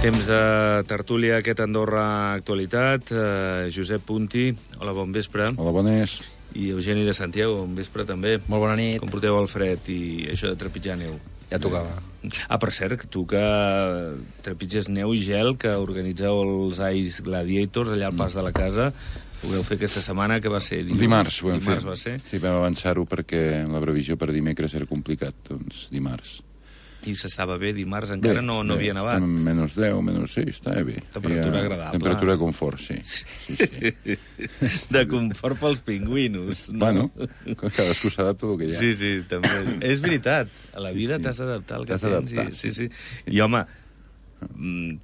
Temps de tertúlia, aquest Andorra Actualitat. Josep Punti, hola, bon vespre. Hola, bones. I Eugeni de Santiago, bon vespre també. Molt bona nit. Com porteu el fred i això de trepitjar neu? Ja tocava. Per cert, tu que trepitges neu i gel, que organitzeu els Ice Gladiators allà al pas de la casa, ho vau fer aquesta setmana, que va ser Dimarts ho vam fer. Va ser? Sí, vam avançar-ho perquè la previsió per dimecres era complicat, doncs dimarts. I s'estava bé dimarts, encara no havia nevat. Estem menys 10, menys 6, estava bé. Temperatura agradable. Temperatura de confort, sí. Sí. De confort pels pingüinos. No? Bueno, cadascú s'adapta al que hi ha. Sí, també. És veritat, a la vida t'has d'adaptar al que tens. Sí. I home,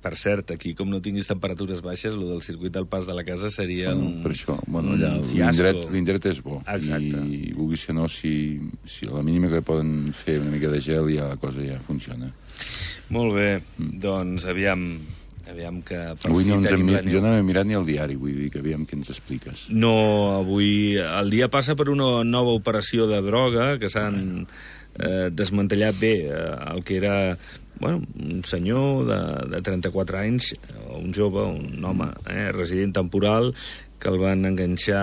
per cert, aquí com no tinguis temperatures baixes, el del circuit del pas de la casa seria per això, allà l'indret és bo. Exacte. I vulgui ser no, si a la mínima que poden fer una mica de gel ja la cosa ja funciona. Molt bé, doncs aviam que per avui fi tenim la neu. Jo no he mirat ni el diari, vull dir que aviam què ens expliques. No, avui el dia passa per una nova operació de droga, que s'han desmantellat bé el que era un senyor de 34 anys, un jove, un home, resident temporal, que el van enganxar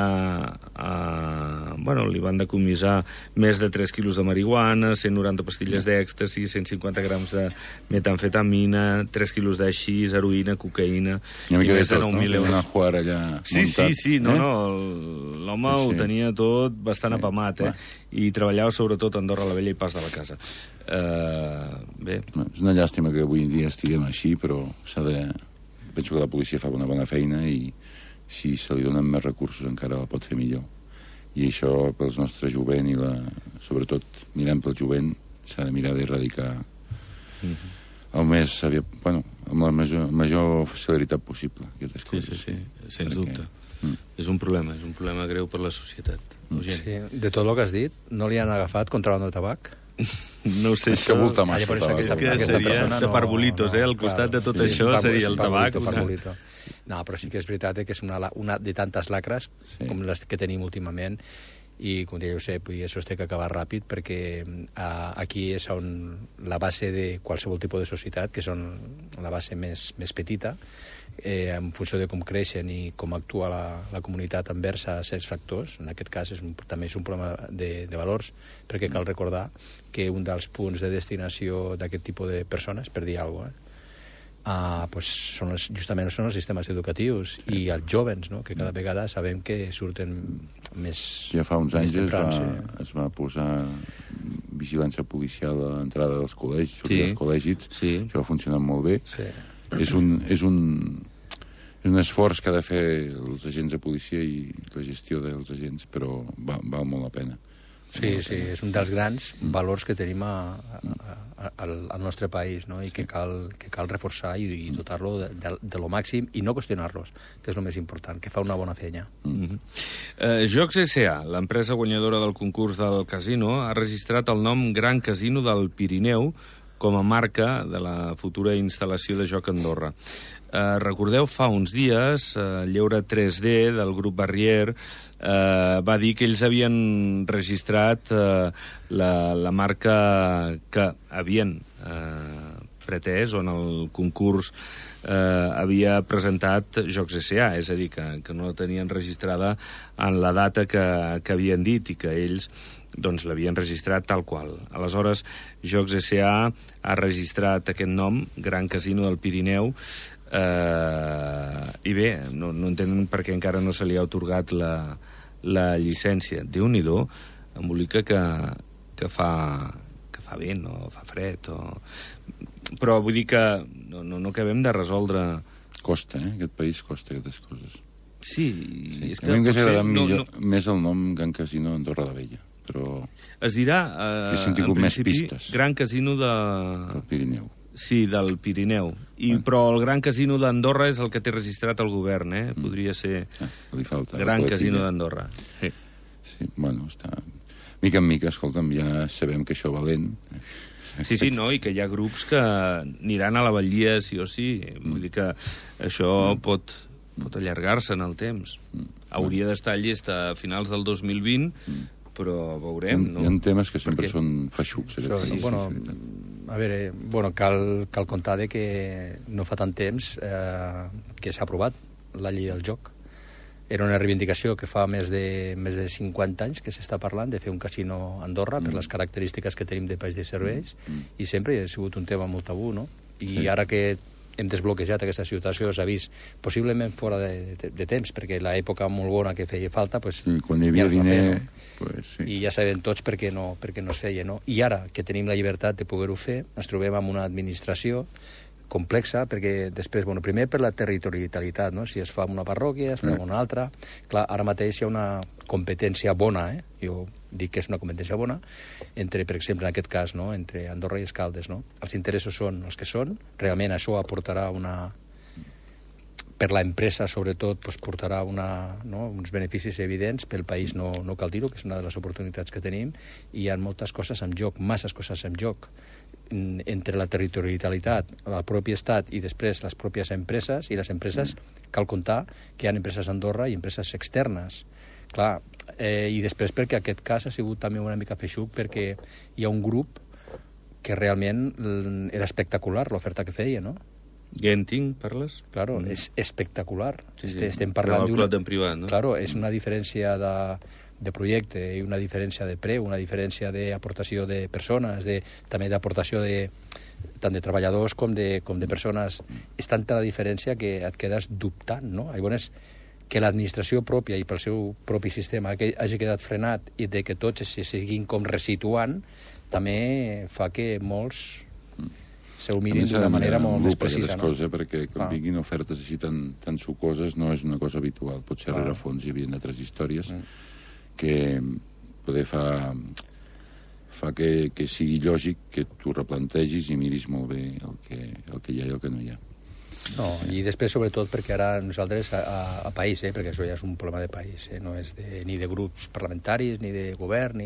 li van decomissar més de 3 quilos de marihuana, 190 pastilles d'èxtasi, 150 grams de metamfetamina, 3 quilos de xis, heroïna, cocaïna, i més de 9.000 euros. Sí, l'home ho tenia tot bastant apamat, i treballava sobretot a Andorra la Vella i Pas de la Casa. Bé. És una llàstima que avui en dia estiguem així, però penso que la policia fa una bona feina i si se li donen més recursos encara la pot fer millor. I això pels nostres jovent i sobretot mirant pel jovent s'ha de mirar d'erradicar amb la major celeritat possible aquestes coses. Sí, sens dubte. És un problema greu per la societat. Sí, de tot el que has dit, no li han agafat contrabando de tabac? No sé, això... És que seria de parbolitos, al costat de tot això seria el tabac. No, però sí que és veritat que és una de tantes lacres com les que tenim últimament, i com deia Josep, això es té que acabar ràpid, perquè aquí és on la base de qualsevol tipus de societat, que són la base més petita, en funció de com creixen i com actua la comunitat envers a certs factors. En aquest cas també és un problema de valors, perquè cal recordar que un dels punts de destinació d'aquest tipus de persones, per dir alguna cosa, justament són els sistemes educatius i els jovens, que cada vegada sabem que surten més... Ja fa uns anys es va posar vigilància policial a l'entrada dels col·legis, dels col·legis. Això ha funcionat molt bé. És un esforç que ha de fer els agents de policia i la gestió dels agents, però val molt la pena. Sí, és un dels grans valors que tenim al nostre país, i que cal reforçar i dotar-lo de lo màxim i no qüestionar-los, que és el més important, que fa una bona feina. Jocs S.A., l'empresa guanyadora del concurs del casino, ha registrat el nom Gran Casino del Pirineu com a marca de la futura instal·lació de joc a Andorra. Recordeu, fa uns dies, Lleure 3D del grup Barrier va dir que ells havien registrat la marca que havien pretès, on el concurs havia presentat Jocs S.A., és a dir, que no la tenien registrada en la data que havien dit i que ells l'havien registrat tal qual. Aleshores, Jocs S.A. ha registrat aquest nom, Gran Casino del Pirineu, i bé, no entenen per què encara no se li ha atorgat la llicència. Déu-n'hi-do, embolica que fa vent o fa fred però vull dir que no acabem de resoldre. Costa, aquest país costa aquestes coses. Sí. És que a mi m'hauria agradat més el nom Gran Casino Andorra la Vella, però es dirà en principi Gran Casino del Pirineu. Sí, del Pirineu. Però el Gran Casino d'Andorra és el que té registrat el govern, Podria ser Gran Casino d'Andorra. Sí, està... Mica en mica, escolta'm, ja sabem que això va lent. Sí, i que hi ha grups que aniran a la batllia sí o sí. Vull dir que això pot allargar-se en el temps. Hauria d'estar llest a finals del 2020, però veurem, no? Hi ha temes que sempre són feixucs. A veure, bueno, cal comptar que no fa tant temps que s'ha aprovat la llei del joc. Era una reivindicació que fa més de 50 anys que s'està parlant de fer un casino a Andorra per les característiques que tenim de país de serveis i sempre ha sigut un tema molt tabú, no? I ara que hem desbloquejat aquesta situació, s'ha vist possiblement fora de temps, perquè l'època molt bona que feia falta, pues, sí, quan hi havia diner, pues, sí. I ja sabem tots per què no es feia, no? I ara que tenim la llibertat de poder-ho fer, ens trobem amb una administració complexa, perquè després, bueno, primer per la territorialitat, no? Si es fa en una parròquia, es fa en una altra. Clar, ara mateix hi ha una competència bona, jo dic que és una competència bona, entre, per exemple, en aquest cas, no? Entre Andorra i Escaldes, no? Els interessos són els que són, realment això aportarà per l'empresa, sobretot, doncs, portarà uns beneficis evidents, pel país no cal dir-ho, que és una de les oportunitats que tenim, i hi ha moltes coses en joc, masses coses en joc, entre la territorialitat, el propi estat i després les pròpies empreses, i les empreses cal comptar que hi ha empreses a Andorra i empreses externes. Clar, i després perquè aquest cas ha sigut també una mica feixuc, perquè hi ha un grup que realment era espectacular l'oferta que feia, no? Genting, parles? Claro, és espectacular. Sí, estem parlant del clot en privat, no? Claro, és una diferència de projecte i una diferència de preu, una diferència d'aportació de persones, també d'aportació tant de treballadors com de persones. És tanta la diferència que et quedes dubtant, no? Llavors, que l'administració pròpia i pel seu propi sistema hagi quedat frenat i de que tots se siguin com resituant, també fa que molts se'l mirin d'una manera molt més precisa, no? Perquè quan vinguin ofertes així tan sucoses no és una cosa habitual. Potser a rerefons hi havia altres històries que poder fa que sigui lògic que tu replantegis i miris molt bé el que hi ha i el que no hi ha. No, i després sobretot perquè ara nosaltres a país, perquè això ja és un problema de país, no és ni de grups parlamentaris ni de govern,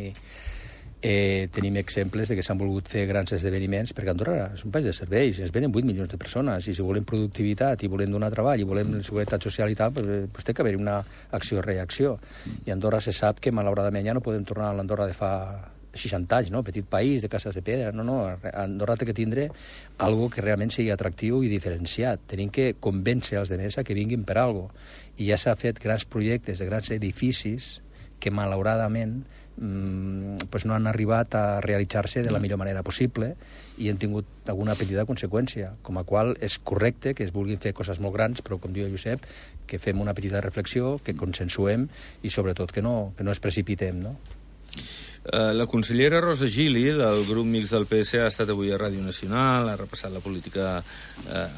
tenim exemples de que s'han volgut fer grans esdeveniments, perquè Andorra és un país de serveis, ens venen 8 milions de persones, i si volem productivitat i volem donar treball i volem seguretat social i tal, doncs té que haver una acció-reacció. I Andorra se sap que malauradament ja no podem tornar a l'Andorra de fa 60 anys, no? Petit país de cases de pedra. No. Andorra té que tindre algo que realment sigui atractiu i diferenciat. Tenim que convèncer els altres que vinguin per algo. I ja s'ha fet grans projectes de grans edificis que malauradament no han arribat a realitzar-se de la millor manera possible i han tingut alguna petita conseqüència, com a qual és correcte que es vulguin fer coses molt grans, però com diu Josep, que fem una petita reflexió, que consensuem i sobretot que no ens precipitem, no? La consellera Rosa Gili, del grup mix del PS, ha estat avui a Ràdio Nacional, ha repassat la política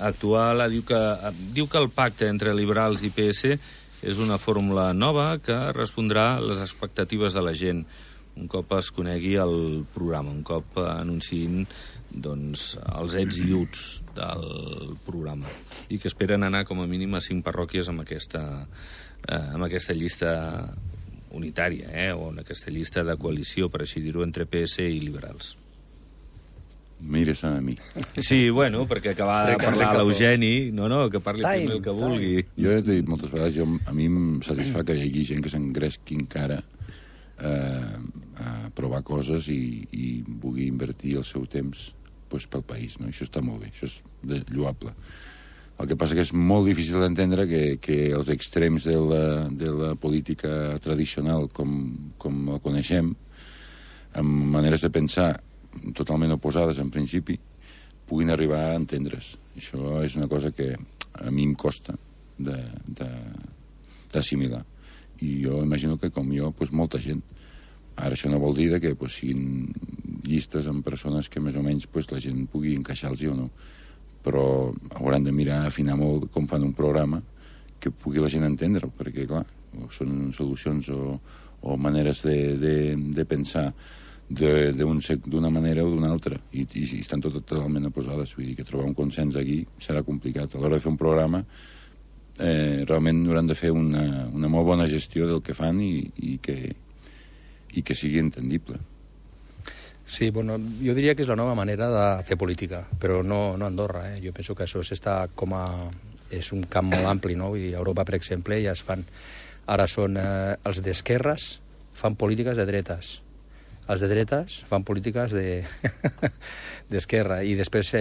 actual, diu que el pacte entre liberals i PS és una fórmula nova que respondrà a les expectatives de la gent un cop es conegui el programa, un cop anunciïn els ets i uts del programa, i que esperen anar com a mínim a 5 parròquies amb aquesta llista unitària, o en aquesta llista de coalició, per així dir-ho, entre PS i liberals. Mira-se'n a mi. Sí, bueno, perquè acaba de parlar l'Eugeni, que parli primer el que vulgui. Jo ja t'he dit moltes vegades, a mi em satisfà que hi hagi gent que s'engresqui encara a provar coses i vulgui invertir el seu temps pel país, no? Això està molt bé, això és lloable. El que passa que és molt difícil d'entendre que els extrems de la política tradicional com la coneixem, amb maneres de pensar totalment oposades en principi, puguin arribar a entendre's. Això és una cosa que a mi em costa d'assimilar. I jo imagino que com jo, molta gent. Ara això no vol dir que siguin llistes amb persones que més o menys la gent pugui encaixar-los o no, però hauran de mirar, afinar molt com fan un programa que pugui la gent entendre'l, perquè clar, són solucions o maneres de pensar d'una manera o d'una altra, i estan totalment oposades. Vull dir que trobar un consens aquí serà complicat. A l'hora de fer un programa realment hauran de fer una molt bona gestió del que fan i que sigui entendible. Sí, bueno, jo diria que és la nova manera de fer política, però no a Andorra. Jo penso que això és un camp molt ampli, no? Vull dir, a Europa, per exemple, ja es fan... Ara són els d'esquerres fan polítiques de dretes. els de dretes fan polítiques d'esquerra. I després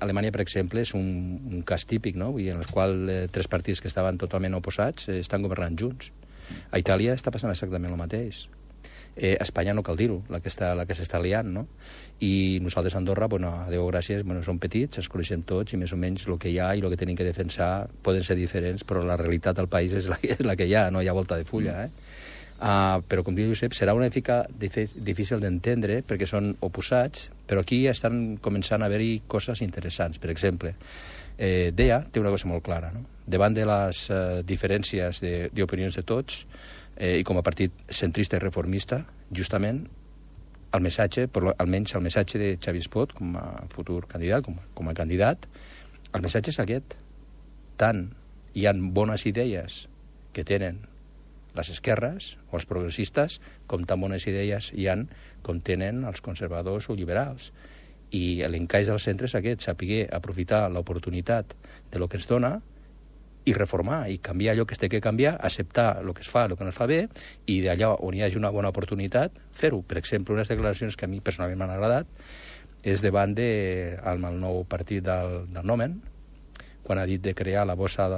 Alemanya, per exemple, és un cas típic, no? En el qual 3 partits que estaven totalment oposats estan governant junts. A Itàlia està passant exactament el mateix. A Espanya no cal dir-ho, la que s'està liant, no? I nosaltres a Andorra, a Déu gràcies, som petits, ens coneixem tots i més o menys el que hi ha i el que tenim que defensar poden ser diferents, però la realitat del país és la que hi ha, no hi ha volta de fulla, però, com diu Josep, serà una mica difícil d'entendre perquè són oposats, però aquí estan començant a haver-hi coses interessants. Per exemple, DEA té una cosa molt clara, no? Davant de les diferències d'opinions de tots, i com a partit centrista i reformista, justament el missatge, almenys el missatge de Xavier Espot com a futur candidat, com a candidat, el missatge és aquest. Tant hi ha bones idees que tenen les esquerres o els progressistes, com tan bones idees hi ha com tenen els conservadors o liberals. I l'encaix del centre és aquest, saber aprofitar l'oportunitat de lo que ens dona i reformar, i canviar allò que es té que canviar, acceptar el que es fa, el que no es fa bé, i d'allà on hi hagi una bona oportunitat, fer-ho. Per exemple, unes declaracions que a mi personalment m'han agradat és davant del nou partit del Nomen, quan ha dit de crear la bossa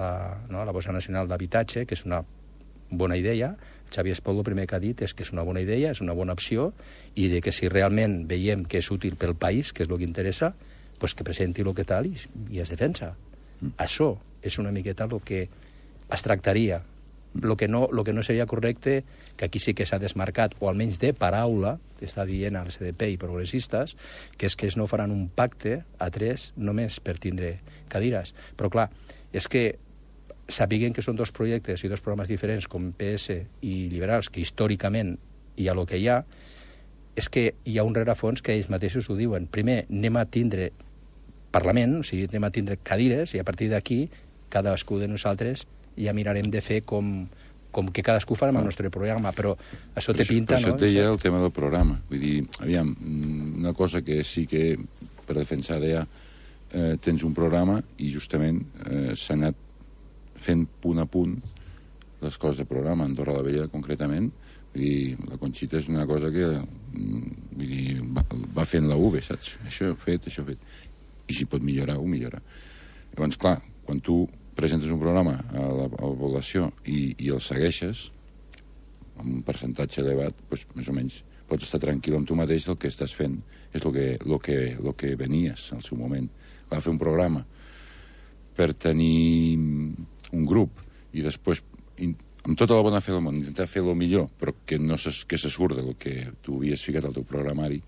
nacional d'habitatge, que és una bona idea. Xavier Espot el primer que ha dit és que és una bona idea, és una bona opció, i de que si realment veiem que és útil pel país, que és el que interessa, pues que presenti el que tal i es defensa. Això és una miqueta el que es tractaria. El que no seria correcte, que aquí sí que s'ha desmarcat, o almenys de paraula, està dient al CDP i progressistes, que és que no faran un pacte a 3 només per tindre cadires. Però clar, és que sapiguen que són 2 projectes i 2 programes diferents com PS i liberals, que històricament hi ha el que hi ha, és que hi ha un rerefons que ells mateixos ho diuen. Primer, anem a tindre Parlament, o sigui, anem a tindre cadires, i a partir d'aquí cadascú de nosaltres ja mirarem de fer com que cadascú farem el nostre programa, però això té pinta, no? Però això té ja el tema del programa. Vull dir, aviam, una cosa que sí que per defensar DEA tens un programa i justament s'ha anat fent punt a punt les coses de programa. Andorra la Vella, concretament, vull dir, la Conxita és una cosa que vull dir, va fent la UV, saps? Això fet. I si pot millorar, ho millora. Llavors, clar, quan tu presentes un programa a la població i el segueixes amb un percentatge elevat, doncs més o menys pots estar tranquil amb tu mateix, el que estàs fent és el que venies al seu moment. Va fer un programa per tenir un grup i després, amb tota la bona fe del món, intentar fer el millor, però que se surt del que tu havies ficat al teu programari,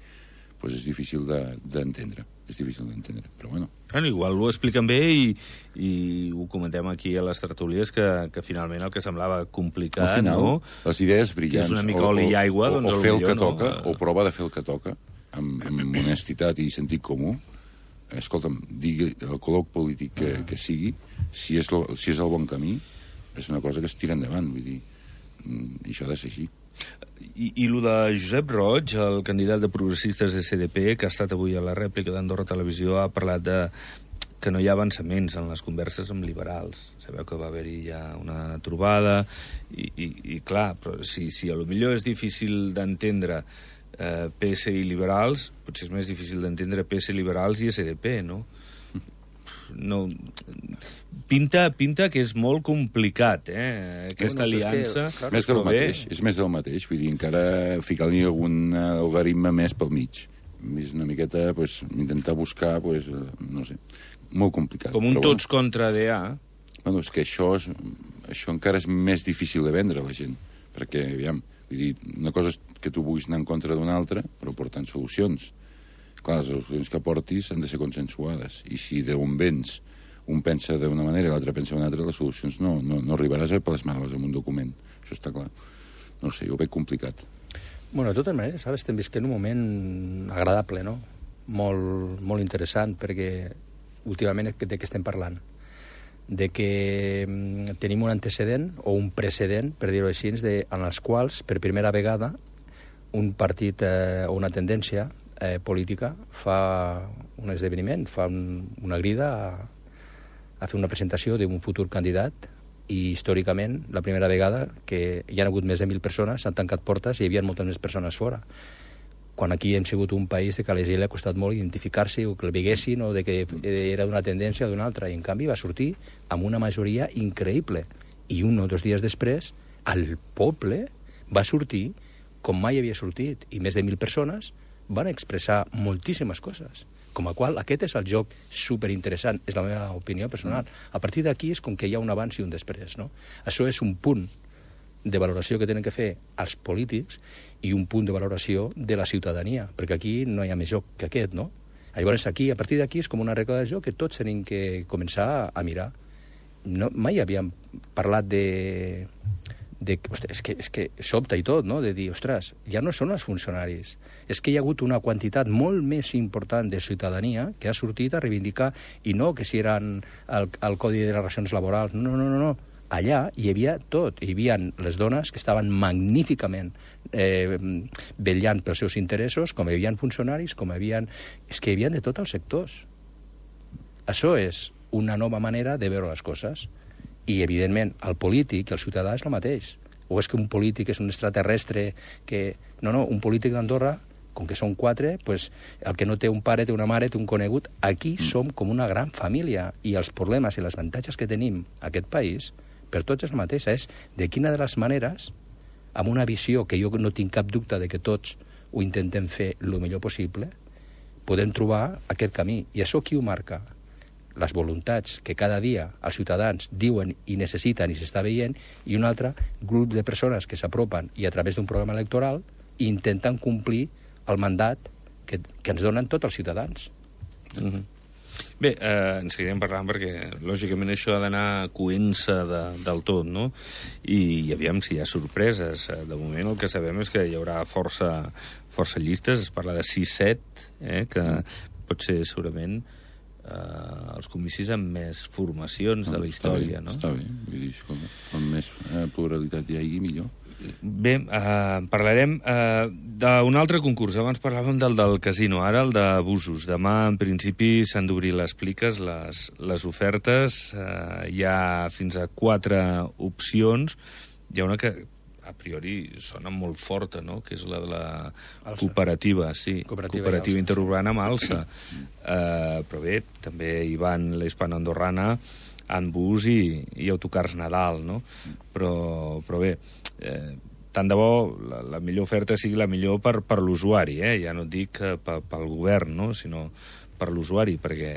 doncs és difícil d'entendre. Però bueno. Igual ho expliquen bé i ho comentem aquí a les tertúlies, que finalment el que semblava complicat, al final, no? Les idees brillants. És una mica oli i aigua, doncs o fer el que toca, o prova de fer el que toca, amb honestitat i sentit comú. Escolta'm, digui el color polític que sigui, si és el bon camí, és una cosa que es tira endavant, vull dir, i això ha de ser així. I el de Josep Roig, el candidat de progressistes de CDP, que ha estat avui a la rèplica d'Andorra Televisió, ha parlat que no hi ha avançaments en les converses amb liberals. Sabeu que va haver-hi ja una trobada i clar, però si a lo millor és difícil d'entendre PS i liberals, potser és més difícil d'entendre PS, liberals i SDP, no? No, pinta que és molt complicat, aquesta aliança. És més del mateix, vull dir, encara ficar-li algun algoritme més pel mig. És una miqueta, intentar buscar, no sé, molt complicat. Com un tots contra DA. Bueno, és que això encara és més difícil de vendre a la gent, perquè, aviam, vull dir, una cosa és que tu vulguis anar en contra d'una altra, però portant solucions. Clar, les solucions que portis han de ser consensuades, i si d'on vens un pensa d'una manera i l'altre pensa d'una altra, les solucions no arribaràs a plasmar-les en un document. Això està clar. No sé, ho veig complicat. Bueno, de totes maneres, ara estem visquent un moment agradable, no? Molt, molt interessant, perquè últimament de què estem parlant? De que tenim un antecedent o un precedent, per dir-ho així, en els quals, per primera vegada, un partit o una tendència política fa un esdeveniment, fa una crida a fer una presentació d'un futur candidat, i històricament la primera vegada que hi ha hagut més de 1.000 persones, s'han tancat portes i hi havia moltes més persones fora. quan aquí hem sigut un país de que a la gent li ha costat molt identificar-se o que el veiessin o de que era d'una tendència o d'una altra, i en canvi va sortir amb una majoria increïble. I 1 o 2 dies després, el poble va sortir com mai havia sortit, i més de 1.000 persones van expressar moltíssimes coses. Com a qual, aquest és el joc superinteressant, és la meva opinió personal. A partir d'aquí és com que hi ha un abans i un després, no? Això és un punt de valoració que tenen que fer els polítics i un punt de valoració de la ciutadania, perquè aquí no hi ha més joc que aquest, no? Llavors, aquí, a partir d'aquí, és com una regla de joc que tots tenim que començar a mirar. No, mai havíem parlat ostres, és que sobta i tot, no?, de dir, ostres, ja no són els funcionaris. És que hi ha hagut una quantitat molt més important de ciutadania que ha sortit a reivindicar, i no que si eren el Codi de les Relacions Laborals, no. Allà hi havia tot. Hi havia les dones que estaven magníficament vetllant pels seus interessos, com hi havia funcionaris, com hi havia... És que hi havia de tots els sectors. Això és una nova manera de veure les coses. I, evidentment, el polític i el ciutadà és el mateix. O és que un polític és un extraterrestre que... No, un polític d'Andorra, com que són 4, pues, el que no té un pare, té una mare, té un conegut. Aquí som com una gran família, i els problemes i les avantatges que tenim a aquest país, per tots és la mateixa. És de quina de les maneres, amb una visió que jo no tinc cap dubte de que tots ho intentem fer el millor possible, podem trobar aquest camí. I això qui ho marca? Les voluntats que cada dia els ciutadans diuen i necessiten i s'està veient, i un altre grup de persones que s'apropen i a través d'un programa electoral intenten complir el mandat que ens donen tots els ciutadans. Bé, en seguirem parlant perquè, lògicament, això ha d'anar coent-se del tot, no? I aviam si hi ha sorpreses. De moment el que sabem és que hi haurà força llistes, es parla de 6-7, que pot ser segurament els comicis amb més formacions de la història, no? Està bé, vull dir, com més pluralitat hi hagi, millor. Bé, parlarem d'un altre concurs. Abans parlàvem del casino, ara el d'abusos. Demà, en principi, s'han d'obrir les pliques, les ofertes. Hi ha fins a 4 opcions. Hi ha una que a priori sona molt forta, no?, que és la de la cooperativa, sí, cooperativa interurbana amb alça. Però bé, també hi van la hispano-andorrana, Anbus i autocars Nadal, no? Però bé, tant de bo la millor oferta sigui la millor per l'usuari, ja no et dic pel govern, no?, sinó per l'usuari, perquè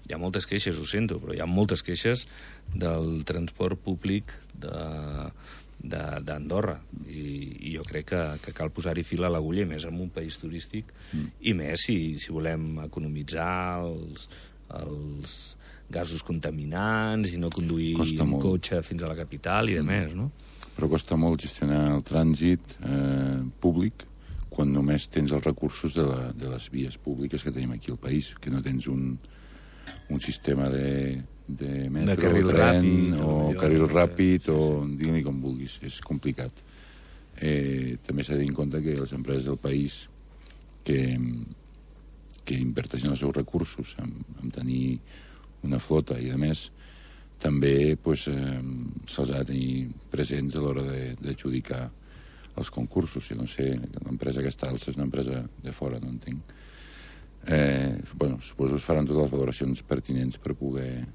hi ha moltes queixes, ho sento, però hi ha moltes queixes del transport públic d'Andorra, i jo crec que cal posar-hi fil a l'agulla, més en un país turístic, i més si volem economitzar els gasos contaminants i no conduir un cotxe fins a la capital i de més, no? Però costa molt gestionar el trànsit públic quan només tens els recursos de les vies públiques que tenim aquí al país, que no tens un sistema de metro, de carril tren ràpid, o carril ràpid, o digue-li com vulguis, és complicat. També s'ha de tenir en compte que les empreses del país que inverteixen els seus recursos en tenir una flota i, a més, també se'ls ha de tenir presents a l'hora d'adjudicar els concursos. Si no sé, l'empresa aquesta alça és una empresa de fora, no entenc. Suposo que es faran totes les valoracions pertinents per poder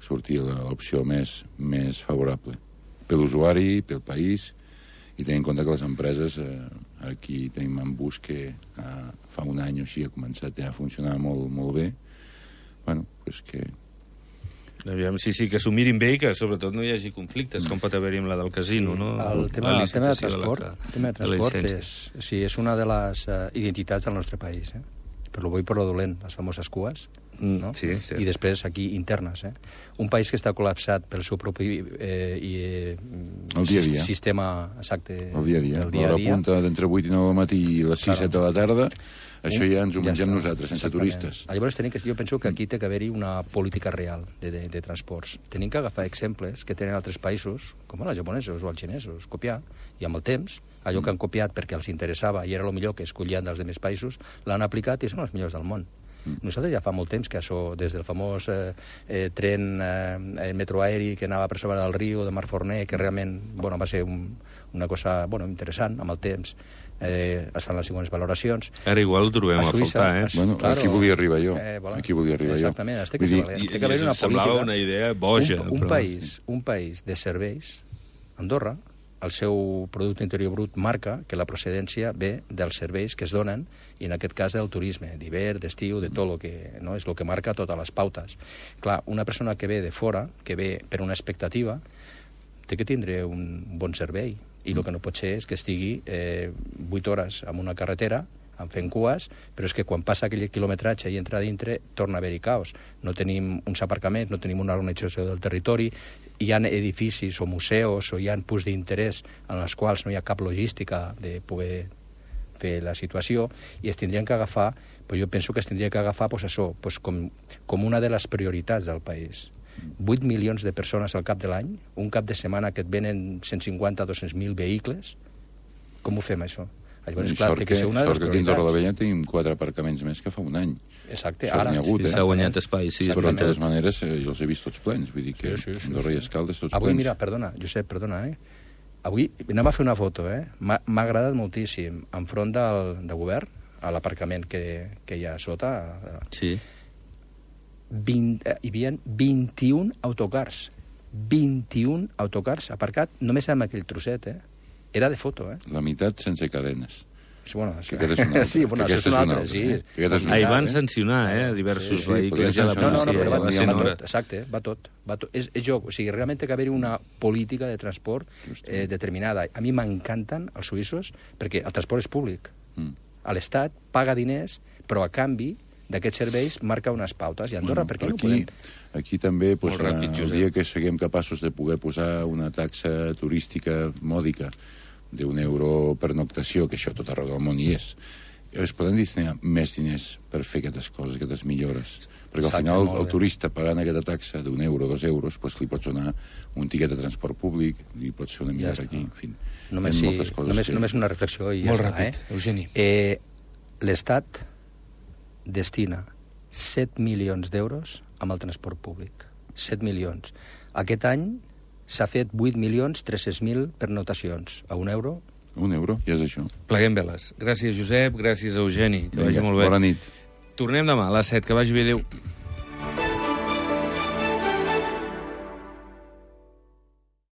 sortir l'opció més favorable per l'usuari, pel país, i tenint en compte que les empreses, aquí tenim Anbus, que fa un any o així ha començat a funcionar molt, molt bé. Que... Aviam, sí, que s'ho mirin bé i que sobretot no hi hagi conflictes, com pot haver-hi amb la del casino, no? El tema de transport és una de les identitats del nostre país, per lo bo i per lo dolent, les famoses cues, no? Sí. I després aquí internes. Un país que està col·lapsat pel seu propi sistema exacte el dia a dia. L'hora punta d'entre 8 i 9 del matí i les 6 7 de la tarda, això ja ens ho mengem nosaltres, sense turistes. Llavors jo penso que aquí té que haver-hi una política real de transports. Tenim que agafar exemples que tenen altres països, com els japonesos o els xinesos, copiar, i amb el temps, allò que han copiat perquè els interessava i era el millor que escollien dels altres països, l'han aplicat i són els millors del món. Nosaltres ja fa molt temps que això, des del famós tren metroaeri que anava per sobre del riu de Marforner, que realment va ser una cosa interessant amb el temps, es fan les següents valoracions. Ara igual ho trobem a faltar, Bueno, aquí volia arribar jo. Aquí volia arribar jo. Exactament, té que haver una política. Semblava una idea boja. Un país de serveis, Andorra, el seu producte interior brut marca que la procedència ve dels serveis que es donen, i en aquest cas del turisme, d'hivern, d'estiu, de tot el que és el que marca totes les pautes. Clar, una persona que ve de fora, que ve per una expectativa, té que tindre un bon servei, i el que no pot ser és que estigui 8 hores en una carretera fent cues, però és que quan passa aquell quilometratge i entra a dintre, torna a haver-hi caos. No tenim uns aparcaments, no tenim una organització del territori, hi ha edificis o museus o hi ha punts d'interès en els quals no hi ha cap logística de poder fer la situació, i es tindrien que agafar, jo penso que es tindria que agafar això, com una de les prioritats del país. 8 milions de persones al cap de l'any, un cap de setmana que et venen 150-200.000 vehicles, com ho fem, això? Llavors, clar, té que ser una de les prioritats. Sort que aquí a Torre la Vella tenim 4 aparcaments més que fa un any. Exacte, ara. S'ha guanyat espai, sí. Però de totes maneres jo els he vist tots plens, vull dir que Andorra i Escaldes tots plens. Avui, mira, Josep, perdona, avui anem a fer una foto, m'ha agradat moltíssim, enfront del govern, a l'aparcament que hi ha a sota. Sí. Hi havia 21 autocars. 21 autocars aparcat només amb aquell trosset, Era de foto, La meitat sense cadenes. Bueno, que aquesta és una altra. Sí, bueno, això és una altra, sí. Ahir van sancionar, diversos vehicles a la policia. No, però va tot, exacte, va tot. És joc, o sigui, realment té que haver-hi una política de transport determinada. A mi m'encanten els suïssos perquè el transport és públic. L'Estat paga diners, però a canvi d'aquests serveis marca unes pautes. I Andorra, per què no podem? Aquí també, el dia que siguem capaços de poder posar una taxa turística mòdica d'€1 per noctació, que això tot arreu del món hi és, es poden destinar més diners per fer aquestes coses, aquestes millores. Perquè al final el turista pagant aquesta taxa d'€1, €2, li pots donar un tiquet de transport públic, li pots fer una millora aquí, en fi. Només una reflexió i ja està. Molt ràpid, Eugeni. L'Estat destina 7 milions d'euros amb el transport públic. 7 milions. Aquest any s'ha fet 8.300.000 pernotacions. A €1. €1, ja és això. Pleguem veles. Gràcies, Josep. Gràcies, Eugeni. Que vagi molt bé. Bona nit. Tornem demà a les 7. Que vagi bé. Adéu.